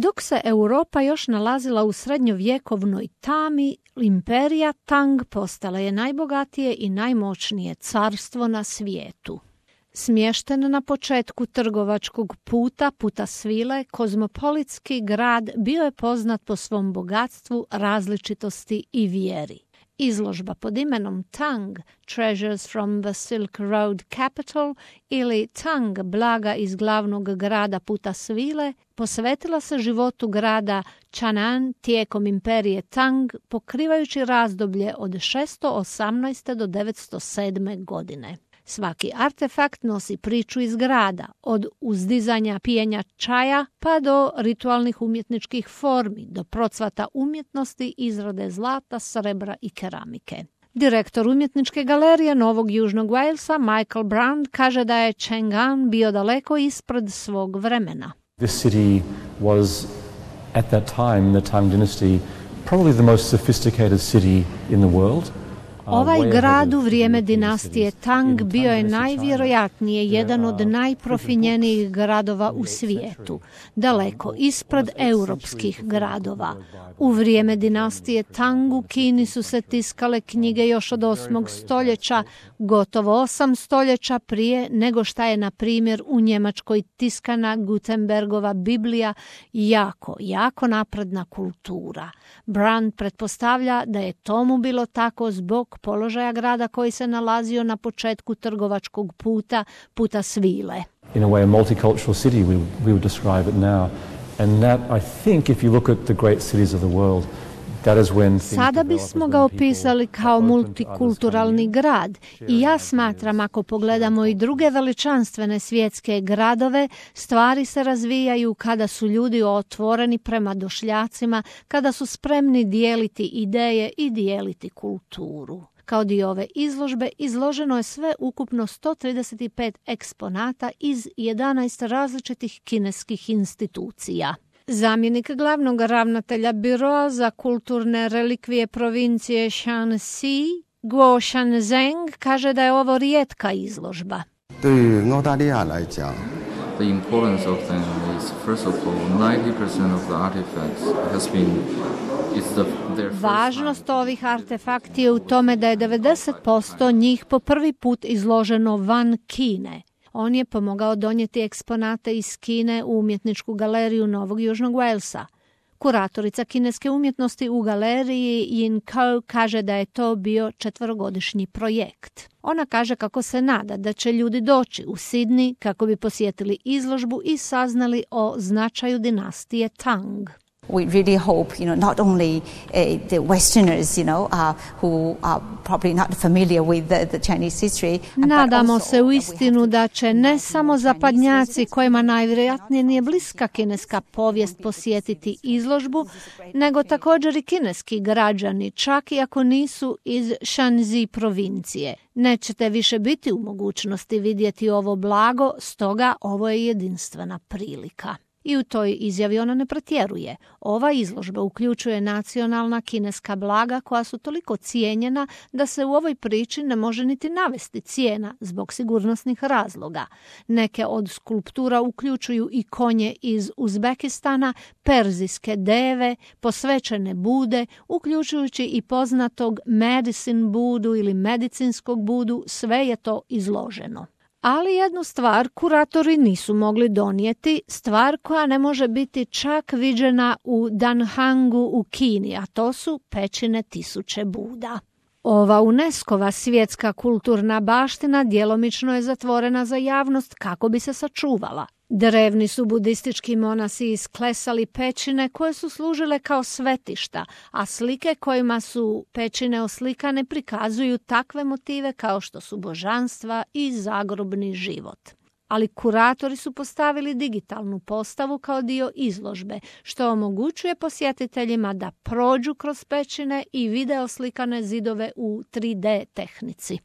Dok se Europa još nalazila u srednjovjekovnoj tami, imperija Tang postala je najbogatije i najmoćnije carstvo na svijetu. Smješten na početku trgovačkog puta svile, kozmopolitski grad bio je poznat po svom bogatstvu, različitosti i vjeri. Izložba pod imenom Tang, Treasures from the Silk Road Capital ili Tang, blaga iz glavnog grada puta svile, posvetila se životu grada Chang'an tijekom imperije Tang, pokrivajući razdoblje od 618. do 907. godine. Svaki artefakt nosi priču iz grada, od uzdizanja pijenja čaja pa do ritualnih umjetničkih formi, do procvata umjetnosti, izrade zlata, srebra i keramike. Direktor umjetničke galerije Novog Južnog Walesa, Michael Brand, kaže da je Chang'an bio daleko ispred svog vremena. This city was, at that time, the Tang dynasty, probably the most sophisticated city in the world. Ovaj grad u vrijeme dinastije Tang bio je najvjerojatnije jedan od najprofinjenijih gradova u svijetu, daleko ispred europskih gradova. U vrijeme dinastije Tang u Kini su se tiskale knjige još od 8. stoljeća, gotovo 8 stoljeća prije nego šta je, na primjer, u Njemačkoj tiskana Gutenbergova Biblija, jako napredna kultura. Brand pretpostavlja da je tomu bilo tako zbog položaja grada koji se nalazio na početku trgovačkog puta svile. In a way, a multicultural city, we would describe it now. And that, I think, if you look at the great cities of the world, that is when sada bismo ga opisali kao multikulturalni grad i ja smatram, ako pogledamo i druge veličanstvene svjetske gradove, stvari se razvijaju kada su ljudi otvoreni prema došljacima, kada su spremni dijeliti ideje i dijeliti kulturu. Kao dio ove izložbe izloženo je sve ukupno 135 eksponata iz 11 različitih kineskih institucija. Zamjenik glavnog ravnatelja Biroa za kulturne relikvije provincije Shanxi, Guo Shanzheng, kaže da je ovo rijetka izložba. The importance of them is, first of all, 90% of the artifacts has been Važnost ovih artefakti je u tome da je 90% njih po prvi put izloženo van Kine. On je pomogao donijeti eksponate iz Kine u umjetničku galeriju Novog Južnog Walesa. Kuratorica kineske umjetnosti u galeriji Yin Kou kaže da je to bio 4-godišnji projekt. Ona kaže kako se nada da će ljudi doći u Sidney kako bi posjetili izložbu i saznali o značaju dinastije Tang. We really hope, not only the Westerners, who are probably not familiar with the Chinese history. Nadamo se u istinu da će ne samo zapadnjaci kojima najvjerojatnije nije bliska kineska povijest posjetiti izložbu, nego također i kineski građani, čak i ako nisu iz Shanxi provincije. Nećete više biti u mogućnosti vidjeti ovo blago, stoga ovo je jedinstvena prilika. I u toj izjavi ona ne pretjeruje. Ova izložba uključuje nacionalna kineska blaga koja su toliko cijenjena da se u ovoj priči ne može niti navesti cijena zbog sigurnosnih razloga. Neke od skulptura uključuju i konje iz Uzbekistana, perzijske deve, posvećene Bude, uključujući i poznatog medicine Budu ili medicinskog Budu, sve je to izloženo. Ali jednu stvar kuratori nisu mogli donijeti, stvar koja ne može biti čak viđena u Danhangu u Kini, a to su pećine tisuće Buda. Ova UNESCO-va svjetska kulturna baština djelomično je zatvorena za javnost kako bi se sačuvala. Drevni su budistički monasi isklesali pećine koje su služile kao svetišta, a slike kojima su pećine oslikane prikazuju takve motive kao što su božanstva i zagrobni život. Ali kuratori su postavili digitalnu postavu kao dio izložbe, što omogućuje posjetiteljima da prođu kroz pećine i vide oslikane zidove u 3D tehnici.